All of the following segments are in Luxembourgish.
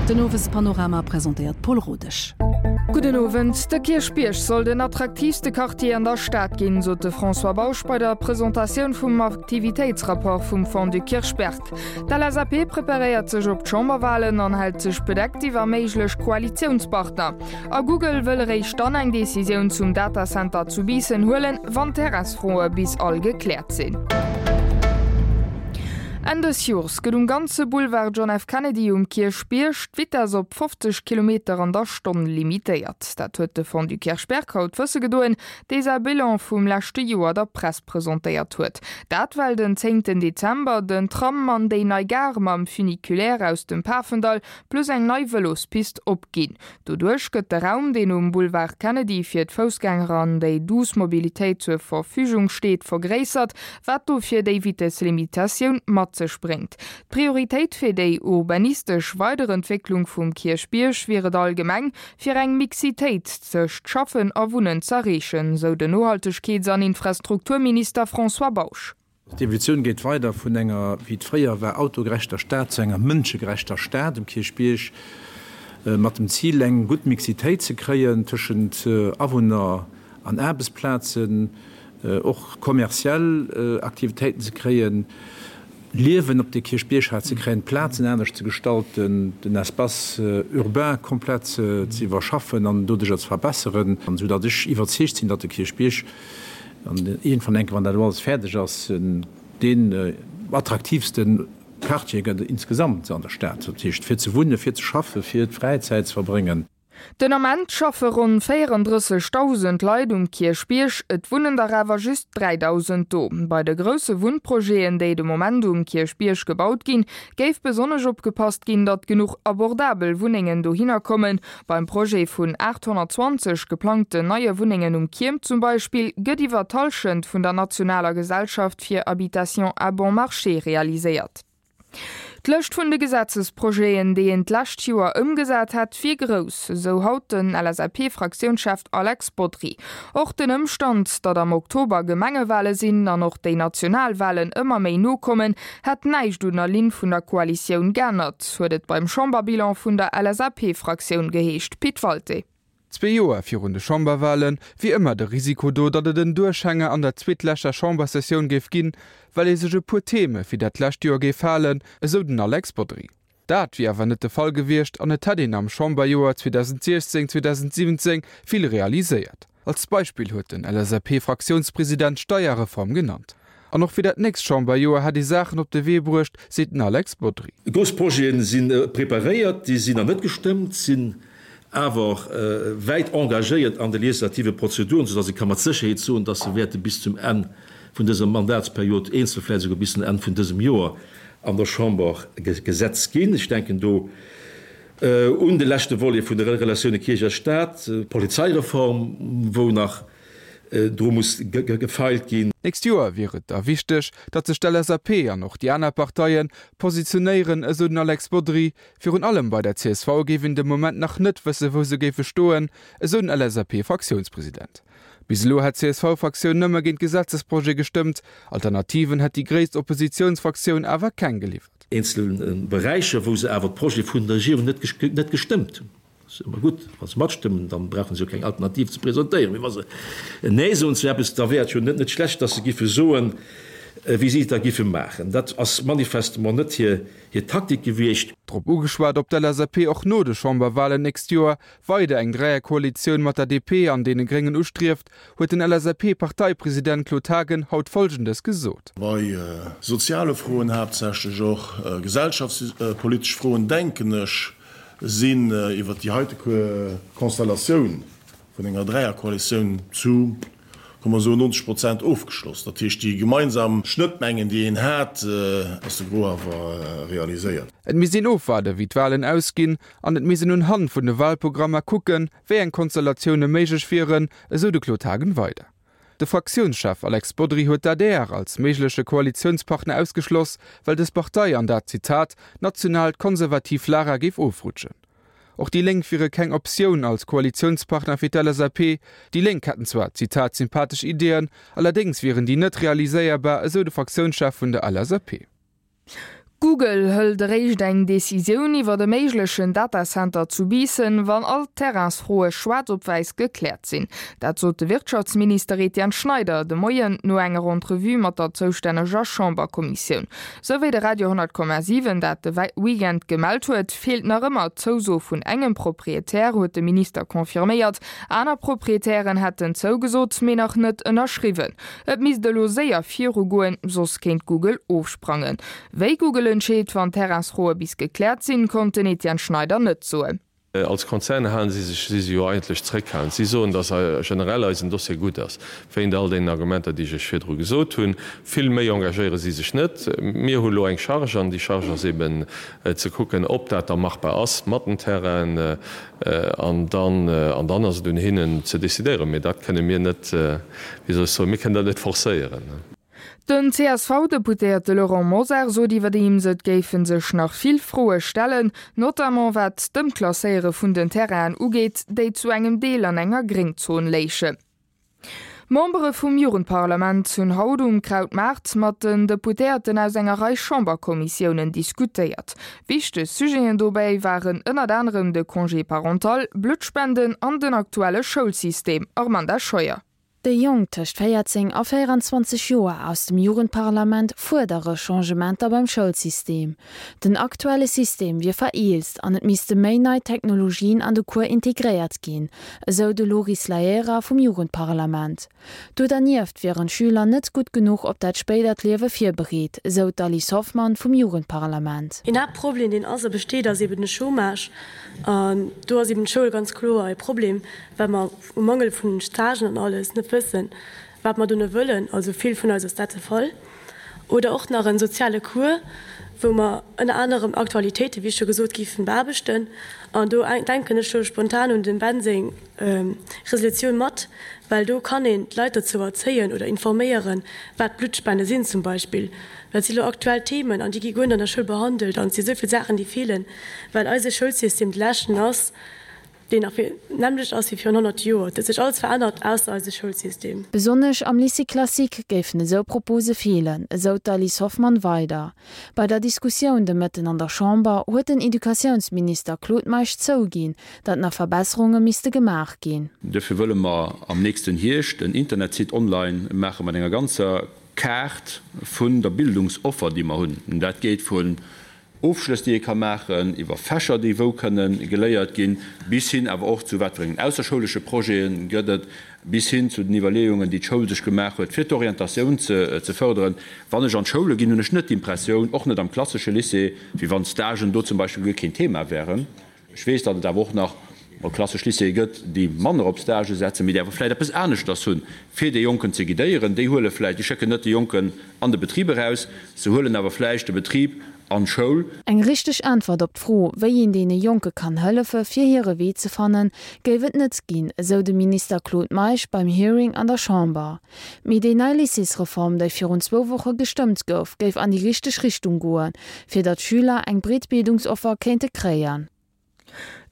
Den Owespanorama presentéiert d'Paul Rodesch. Gudden Owend. De Kierchbierg soll den attraktiivste Quartier an der Stad ginn, sot de François Bausch bei der Presentatioun vum Aktivitéitsrapport vum Fonds du Kirchberg. D'LSAP preparéiert sech op d'Chamberwalen an hält sech bedeckt iwwer méiglech Koalitiounspartner. A Google wëll eréischt dann eng Decisioun zum Datacenter zu Biissen huelen, wann d'Terraisfroe bis all gekläert sinn. Enn dës Jors gëtt um ganze Boulevard John F. Kennedy um Kierchbierg d'Vitess op 50 Kilometer an der Stonn limitéiert. Dat huet de Fonds du Kirchberg haut wësse gedoen, dee säi Bilan vum leschte Joer der Press presentéiert huet. Dat well den zéngten Dezember den Tram an déi nei Gare mam Funiculaire aus dem Pafendall plus eng nei Vëlospist opginn. Doduerch gëtt de Raum, deen um Boulevard Kennedy fir d'Foussgänger an déi douce Mobilitéit zur Verfügung steet, vergréissert, wat dofir déi Vitesslimitatioun mat sech bréngt. D'Prioritéit fir déi urbanistesch Weiderentwécklung vum Kierchbierg wier et allgemeng, fir eng Mixitéit tëscht Schaffen a Wunnen z'erreechen, sou den Nohaltegkeets an Infrastrukturminister François Bausch. D'Evolutioun geet weider vun enger, wéi et fréier war, autogerechter Stad zu enger mënschegerechter Stad um Kierchbierg, mat dem Zil, eng gutt Mixitéit ze kréien tëschent Awunner an Aarbechtsplazen, och kommerziell Aktivitéiten ze kréien, Liewen op de Kierchbierg hat ze kréien, d'Plazen anescht ze gestalten, den Espace urbain komplett ze iwwerschaffen an doduercher ze verbesseren, soudatt ech iwwerzeegt sinn, datt de Kierchbierg An iergendwann enke, wann dat elo alles fäerdeg ass, deen attraktiivste Quartier gëtt insgesamt an der Stad. Dat heescht, fir ze wunnen, fir ze schaffen, fir d'Fräizäit ze verbréngen. Den Ament schaffe ronn 34.000 Leit um Kierchbierg, et wunnen der awer just 3.000 do. Bei de grousse Wunnprojeten, déi de Moment um Kierchbierg gebaut ginn, géif besonnesch opgepasst ginn, datt genuch abordabel Wunnengen dohinner kommen. Beim Projet vun 820 geplangten neie Wunnengen um Kierm zum Beispill gëtt iwwer d'Hallschent vun der nationaler Gesellschaft fir Habitation à bon marché realiséiert. D'Lëscht vun de Gesetzesprojeten, déi een d'lescht Joer ëmgesat hätt, wier grouss, esou haut den LSAP-Fraktiounschef Alex Bodry. Och den Ëmstand, datt am Oktober Gemengewale sinn an och déi national Walen ëmmer méi no kommen, Hätt näischt un der Linn vun der Koalitioun geännert, huet et beim Chamberbilan vun der LSAP-Fraktioun geheescht. Pit Walté. Zwee Joer virun de Chamberwale wier ëmmer de Risiko do, datt et en Duerchhänger an der zweetleschter Chambersessioun géif ginn, well ee sech e puer Theme fir dat lescht Joer géif halen, esou den Alex Bodry. Dat wier awer net de Fall gewiescht an et hätt een am Chamberjoer 2016, 2017 vill realiséiert. Als Beispill huet den LSAP-Fraktiounspresident d'Steierreform genannt. An och fir dat nächst Chamberjoer hätt ee Saachen op de Wee bruecht, seet den Alex Bodry. Grouss Projete si preparéiert, déi sinn nach net gestëmmt, sinn awer wäit engagéiert an de legislative Prozeduren, soudass ee ka mat Sécherheet soen, dass se wäerte bis zum Enn vun dëser Mandatsperiod, eenzel vläicht esouguer bis zum Enn vun dësem Joer an der Chamber Gesetz ginn. Ech denken do Un de leschte Volet vun de Relatioune Kierch a Staat, d'Polizeireform, wou nach dru muss gefeilt ginn. D'nächst Joer wier et da wichteg, datt sech d'LSAP an och déi aner Parteie positionéieren, esou den Alex Bodry. Virun allem bei der csv géif een de Moment nach net wësse wou se géife stoen, esou den LSAP-Fraktiounspresident. Bis elo hätt d'CSV-Fraktioun nëmme géint Gesetzesprojet gestëmmt, Alternativen hätt déi gréisst Oppositiounsfraktioun awer keng geliwwert. Eenzel Beräicher, wou se awer d'Projete vun der Regierung net gestëmmt hunn. Dat ass ëmmer gutt, wa se matstëmmen, da brauche se jo keng Alternativ ze presentéieren. Mee wa se Nee soen zu eppes, da wär et jo net schlecht, datt se giffe soen, wéi si et da giffe maachen. Dat ass manifestement net hir Taktik gewiescht. Drop ugeschwat, ob d'LSAP och no de Chamberwalen d'nächst Joer weider eng Dräierkoalitioun mat der DP an deene Gréngen ustrieft, huet den LSAP-Parteipresident Claude Haagen haut Folgendes gesot. Bei soziale Froen, haaptsächlech och gesellschaftspolitesch Froen, denken ech, sinn iwwert déi heite Konstellatioun vun enger Dräierkoalitioun zu, komm mer soen, 90 Prozent ofgeschloss. Dat heescht, déi gemeinsam Schnëttmengen, déi een hat, ass de Gros awer realiséiert. Et misst een ofwaarden, wéi d'Walen ausginn an et misst een unhand vun de Walprogrammer kucken, wéi eng Konstellatioune méiglech wieren, esou de Claude Haagen weider. De Fraktiounschef Alex Bodry huet d'ADR als méigleche Koalitiounspartner ausgeschloss, well dës Partei an dat, Zitat, nationaalt konservativ Lager géif ofrutschen. Och déi Lénk wiere keng Optioun als Koalitiounspartner fir d'LSAP. Déi Lénk hätten zwar, Zitat, sympathesch Ideeën, allerdéngs wieren déi net realiséierbar, esou de Fraktiounschef vun der LSAP. Google hëlt eréischt eng Decisioun iwwert e méiglechen Datacenter zu Biissen, wann all d'Terrainsfroe schwaarz op wäiss gekläert sinn. Dat sot de Wirtschaftsminister Etienne Schneider de Moien no enger Entrevue mat der zoustänneger Chamberkommissioun. Sou wéi de Radio 10,7 dat de Weekend gemellt huet, feelt nach ëmmer d'Zouso vun engem Proprietär, huet de Minister confirméiert. Aner Proprietären hätten zougesot, mee nach net ënnerschriwwen. Et misst elo séier virugoen, soss kéint Google ofsprangen. Wéi Google entscheet, wann d'Terrainsfroe bis gekläert sinn, konnt den Etienne Schneider net soen. Als Konzern halen si sech, si se jo eigentlech zréckhalend. Si soen, datt generell eisen Dossier gutt ass, wéint all deenen Argumenter, déi ech Iech virdru gesot hunn. Vill méi engagéiere si sech net. Mir hu lo eng Charge an déi Charge ass eben ze kucken, ob dat da machbar ass mat den Terrainen. An dann, an dann ass et un hinnen ze decidéieren. Mee dat kënne mir net, wéi soll ech soen, mir kënnen dat net forcéieren. Den CSV-Deputéierte Laurent Mosar sot iwwerdeems, et géife sech nach vill Froe stellen, notamment wat d'Ëmklasséiere vun den Terrainen ugeet, déi zu engem Deel an enger Gréngzon léichen. D'Membere vum Jugendparlament hunn haut um Krautmaart mat den Deputéierten aus enger Rei Chamberkommissiounen diskutéiert. Wichteg Sujeten dobäi waren ënnert anerem de Congé parental, Bluttspenden an den aktuelle Schoulsystem. Armanda Scheuer. Déi Jonk tëscht 14 a 24 Joer aus dem Jugendparlament fuerdere Changementer beim Schoulsystem. Den aktuelle System wier vereelzt an et misste méi nei Technologien an de Cours integréiert ginn, esou de Loris Laera vum Jugendparlament. Do dernieft wieren d'Schüler net gutt genuch op dat spéidert Liewe virbereet, esou d'Alice Hoffmann vum Jugendparlament. Een Haaptproblem, deen ass a besteet, ass eben de Chômage. An do ass eben d'Schoul ganz kloer e Problem, well mer um Mangel vun Stagen an alles net wëssen, wat mer dono wëllen. Also vill vun eis ass dat de Fall. Oder och nach en soziale Cours, wou mer ënner anerem Aktualitéiten, wéi scho gesot, géifen beaarbechten. An do denken ech lo spontan un dem Ben seng Resolutioun mat, well do kann een d'Leit dozou erzéien oder informéieren, wat Bluttspende sinn zum Beispill. Dat si lo aktuell Themen an déi gi guer net an der Schoul behandelt an et si esou vill Saachen, déi feelen, well eise Schoulsystem de leschten ass, deen nach vill nämmlecht ass wéi virun 100 Joer. Et huet sech alles verännert, ausser eise Schoulsystem. Besonnesch am Lycée classique géifen esou Propose feelen, esou d'Alice Hoffmann weider. Bei der Diskussioun de Mëtten an der Chamber huet den Educatiounsminister Claude Meisch zouginn, datt nach Verbesserunge misste gemaach ginn. Duerfir wëlle mer am nächsten Hierscht en Internetsite online maache mat enger ganzer Kaart vun der Bildungsoffer, déi mer hunn. Dat geet vun Ofschlëss, déi ee ka maachen, iwwer Fächer, déi wou kënne geléiert ginn, bis hin awer och zu wat fir engen ausserschoulesche Projete gëtt et, bis hin zu den Iwwerleeungen, déi d'Schoul sech gemaach huet, fir d'Orientatioun ze fërderen. Wann ech an d'Schoule ginn, hunn ech net d'Impressioun, och net am klassesche Lycée, wéi wann Stagen do zum Beispill guer keen Thema wären. Ech weess, datt et awer och nach mol klassesch Lycéeë gëtt, déi manner op Stagë setzen, mee déi awer vläicht eppes aneschters hunn, fir dee Jonken ze guidéieren. Déi huele vläicht, déi schécken net de Jonken an de Betrib eraus, se huelen awer vläicht de Betrib an d'Schoul. Eng richteg Äntwert op d'Fro, wéi een deene Jonke kann hëllefe fir hire Wee ze fannen, géif et net ginn, esou de Minister Claude Meisch beim Hearing an der Chamber. Mee déi nei Lycéesreform, déi virun zwou Woche gestëmmt gouf, géif an déi richteg Richtung goen, fir datt d'Schüler eng breet Bildungsoffer kéinte kréien.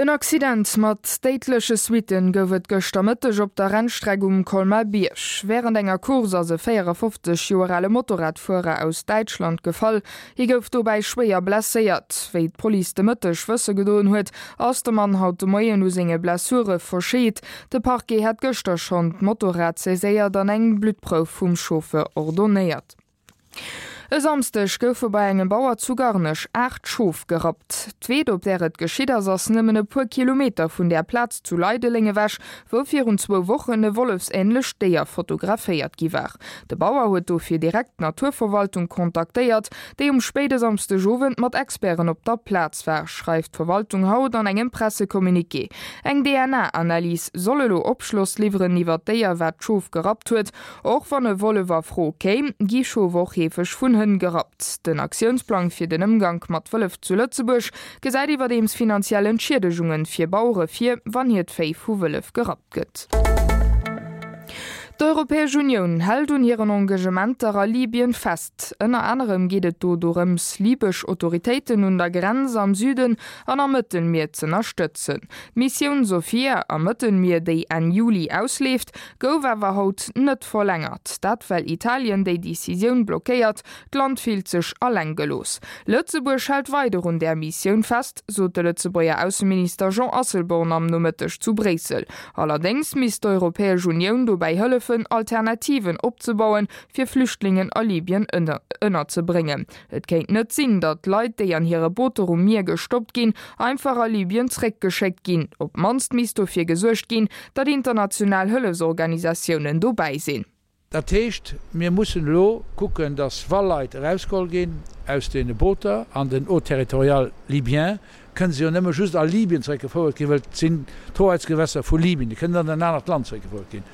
En Accident mat déidleche Suitten gouf et gëschter Mëtteg op der Rennstreck um Colmar-Bierg. Wärend enger Course ass e 54 Joer ale Motorradfuerer aus Däitschland gefall. Hie gouf dobäi schwéier blesséiert. Wéi d'Police de Mëtteg wësse gedoen huet, ass de Mann haut de Moien u senge Blessure verscheet. De Parquet hat gëschter schonn d'Motorrad saiséiert an eng Bluttprouf vum Chauffeur ordonnéiert. E Samsdeg goufe bei engem Bauer zu Garnech 8 Schof gerappt. D'Weed, op där et geschitt ass, ass nëmmen e puer Kilometer vun där Plaz zu Leideleng ewech, wou virun zwou Wochen e wollefsänlecht Déier fotograféiert gi war. De Bauer huet dofir direkt d'Naturverwaltung kontaktéiert, déi um spéide Samsdegowend mat Experten op der Plaz war, schreift d'Verwaltung haut an engem Pressecommuniqué. Eng DNA-Analys soll elo Opschloss liwweren iwwer d'Déier, wat d'Schof gerappt huet. Och wann e Wollef a Fro kéim, gi Schof och heefeg vun Hënn gerappt. Den Aktiounsplang fir den Ëmgank mat Wëllef zu Lëtzebuerg gesäit iwwerdeems finanziell Entschiedegungen fir Bauere vir, wann hiert Véi vu Wëllef gerappt gëtt. D'Europäesch Unioun hält un hiren Engagementer a Libyen fest. Ënner anerem geet et do dorëms, libesch Autoritéiten un der Grenz am Süden an am Mëttelmier z'ënnerstëtzen. D'Missioun Sophia am Mëttelmier, déi Enn Juli ausleeft, gouf awer haut net verlängert. Dat well Italien déi Decisioun blockéiert. D'Land fillt sech alleng gelooss. Lëtzebuerg hält weider un där Missioun fest, sot de Lëtzebuerger Ausseminister Jean Asselborn am Nomëtteg zu Bréissel. Allerdéngs misst d'Europäesch Unioun dobäi hëllefen, Alternativen opzebauen, fir Flüchtlingen a Libyen ënnerzebréngen. Et kéint net sinn, datt Leit, déi an hire Booter um Mier gestoppt ginn, einfach a Libyen zréckgeschéckt ginn. Op d'mannst misst dofir gesuergt ginn, datt international Hëllefsorganisatiounen dobäi sinn. Dat heescht, mir mussen elo kucken, datt wa Leit erausgeholl ginn aus deene Booter an den Eaux territoriales libyen, kënne se jo nëmme just a Libyen zeréckgefouert ginn, well et sinn d'Hoheitsgewässer vu Libyen, déi kënnen net an en anert Land zeréckgefouert ginn,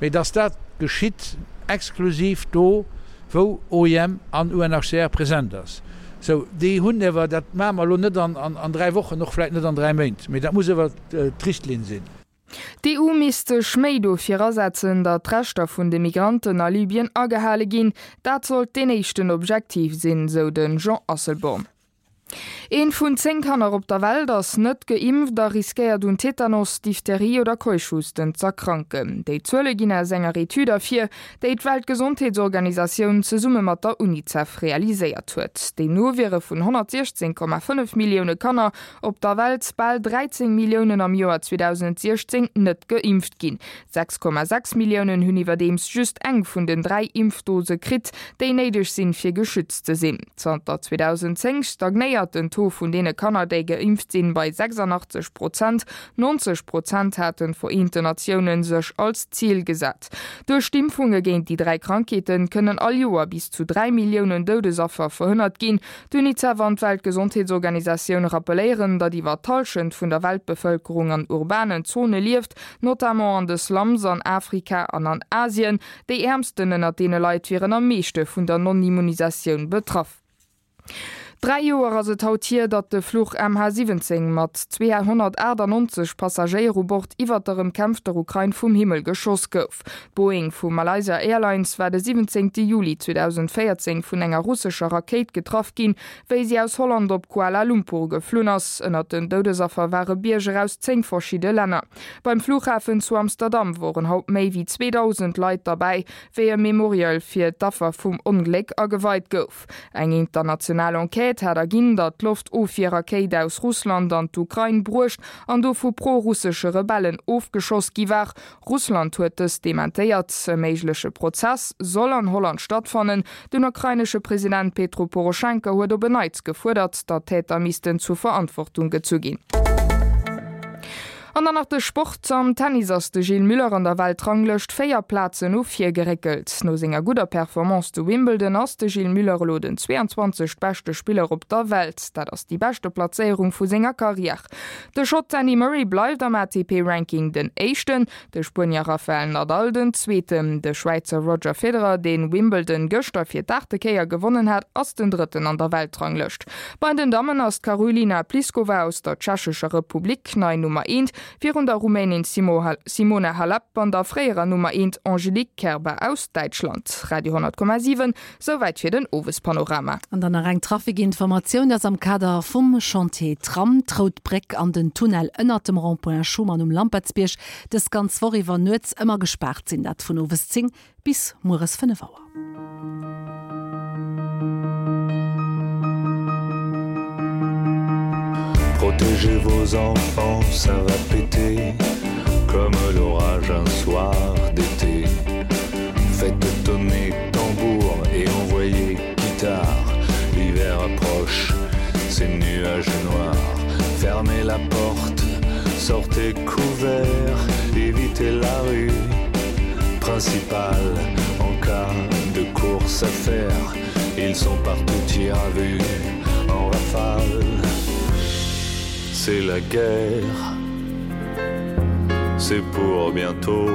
mee datt dat geschitt exklusiv do, wou OIM an UNHCR present ass. Sou, déi hunn ewer, dat maache mer elo net an 3 Wochen, och vläicht net an 3 Méint, mee dat muss ewer d'Richtlinn sinn. D'EU misst sech méi dofir asetzen, datt d'Rechter vun de Migranten a Libyen agehale ginn. Dat sollt deen éischten Objektiv sinn, sou de Jean Asselborn. Eent vun 10 Kanner op der Welt ass net geimpft a riskéiert un Tetanos, Diphtherie oder Keuchhusten z'erkranken. Déi Zuele ginn aus enger Etüd ervir, déi d'Weltgesondheetsorganisatioun zesumme mat der Unicef realiséiert huet. Deemno wiere vun 116,5 Millioune Kanner Op der Welt bal 13 Milliounen am Joer 2016 net geimpft ginn. 6,6 Milliounen hunn iwwerdeems just eng vun den 3 Impfdose kritt, déi néideg sinn, fir geschützt ze sinn. Zanter 2010 stagnéiert den Taux vun deene Kanner, déi geimpft sinn, bei 86 Prozent. 90 Prozent haten d'Vereenten Natiounen sech als Zil gesat. Duerch d'Impfunge géint déi 3 Krankheete kënnen all Joer bis zu 3 Milliounen Doudesaffer verhënnert ginn. D'Unicef an d'Weltgesondheetsorganisatioun rappelléieren, datt iwwer d'Hallschent vun der Weltbevëlkerung an urbanen Zone lieft, notamment an de Slums an Afrika an an Asien. Déi Äermsten ënnert deene Leit wieren am meeschte vun der Non-Immunisatioun betraff. 3 Joer ass et haut hier, datt de Fluch MH17 mat 298 Passagéier u Bord iwwert der ëmkämpfter Ukrain vum Himmel geschoss gouf. D'Boeing vu Malaysia Airlines war de 17 Juli 2014 vun enger russescher Rakéit getraff ginn, wéi si aus Holland op Kuala Lumpur geflunn ass. Ënnert den Doudesaffer ware Bierger aus 10 verschidde Länner. Beim Flughafen zu Amsterdam woren haut méi wéi 2.000 Leit derbäi, wéi e Memorial fir d'Affer vum Ongléck ageweit gouf. Eng international Enquête hat erginn, datt d'Loftofwierrakéit aus Russland an d'Ukrain bruecht an do vu pro-russesche Rebellen ofgeschoss gi war. Russland huet dëst dementéiert. E méigleche Prozess soll an Holland stattfannen. Den ukrainesche President Petro Poroschenko huet op en Neits gefuerdert, datt d'Täter missten zur Verantwortung gezu ginn. An dann nach de Sport, Am Tennis ass de Gilles Müller an der Weltranglëscht 4 Plazen no vir geréckelt. No senger gudder Performance zu Wimbledon ass de Gilles Müller elo den 22. Beschte Spiller op der Welt. Dat ass déi beschte Plazéierung vu senger Karriär. De Schott Andy Murray bleift am ATP-Ranking den Éischten, de Spuenier Rafael Nadal den Zweeten. De Schwäizer Roger Federer, deen Wimbledon gëschter fir d'aachte Kéier gewonnen hat, ass den Drëtten an der Weltranglëscht. Bei den Dammen ass d'Karolina Pliskova aus der Tschechescher Republik nei Nummer eent, virun der Rumänin Simona Halep an der fréierer Nummer eent Angelique Kerber aus Däitschland. Radio 10,7 Souwäit fir den Owespanorama. An dann nach eng Trafikinformatioun, dass am Kader vum Chantier Tram, d'Rout Bréck an den Tunnel ënnert dem Rond-point Schuman um Lampertsbierg dës ganz Woch iwwer nuets ëmmer gespaart sinn, dat vun owes 10 bis mueres 5 Auer. Protégez vos enfants, ça va péter comme l'orage un soir d'été. Faites tonner tambour et envoyez guitare. L'hiver approche, ces nuages noirs. Fermez la porte, sortez couvert, évitez la rue principale en cas de course à faire. Ils sont partout tir à vue en rafale. C'est la guerre, c'est pour bientôt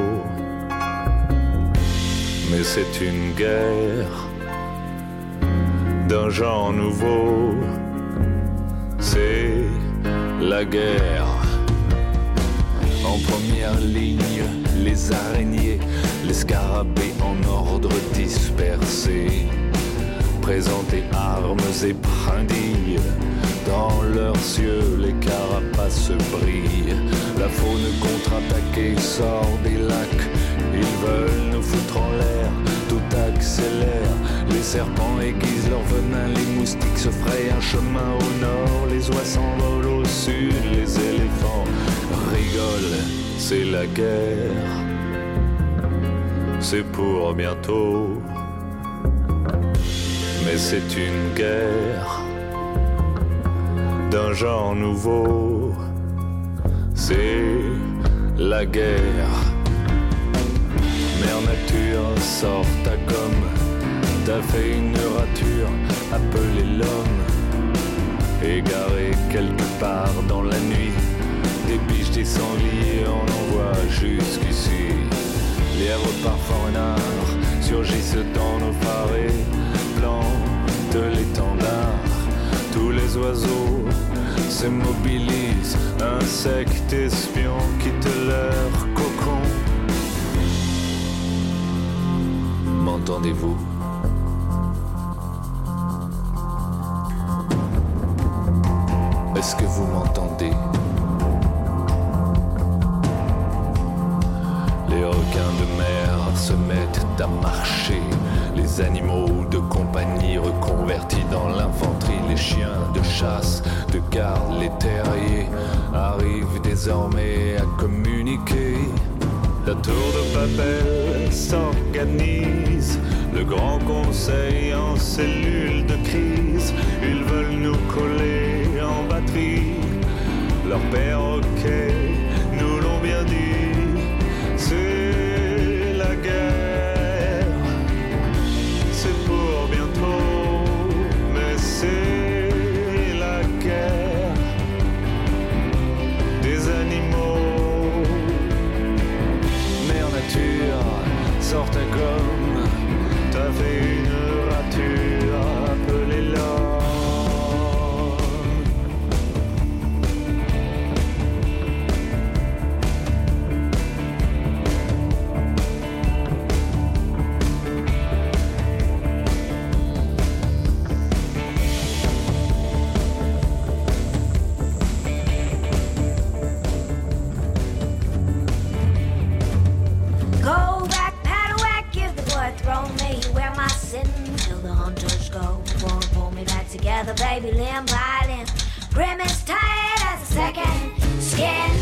mais c'est une guerre d'un genre nouveau c'est la guerre en première ligne les araignées. Les scarabées en ordre dispersé Présenter armes et brindilles Dans leurs yeux les carapaces brillent La faune contre-attaquée sort des lacs Ils veulent nous foutre en l'air, tout accélère Les serpents aiguisent leur venin, les moustiques se frayent un chemin au nord Les oies s'envolent au sud, les éléphants rigolent, c'est la guerre C'est pour bientôt Mais c'est une guerre d'un genre nouveau C'est la guerre Mère nature sort ta gomme T'as fait une rature appelée l'homme Égaré quelque part dans la nuit Des biches des sangliers on envoie jusqu'ici Lièvres parfois renards surgissent dans nos farés Plantent l'étendard Tous les oiseaux se mobilisent Insectes espions quittent leur cocon M'entendez-vous? Est-ce que vous m'entendez? Les requins de mer se mettent à marcher, les animaux de compagnie reconvertis dans l'infanterie, les chiens de chasse, de garde, les terriers arrivent désormais à communiquer. La tour de Babel s'organise, le grand conseil en cellule de crise, ils veulent nous coller en batterie. Leur perroquet nous l'ont bien dit, c'est la guerre. C'est pour bientôt, mais c'est la guerre des animaux. Mère nature, sort ta gomme, t'as fait une rature, appelez l'homme. Go back, paddywhack, give the boy a throw me wear my sin till the hunters go for pull me back together baby limb by limb grim as tight as a second skin.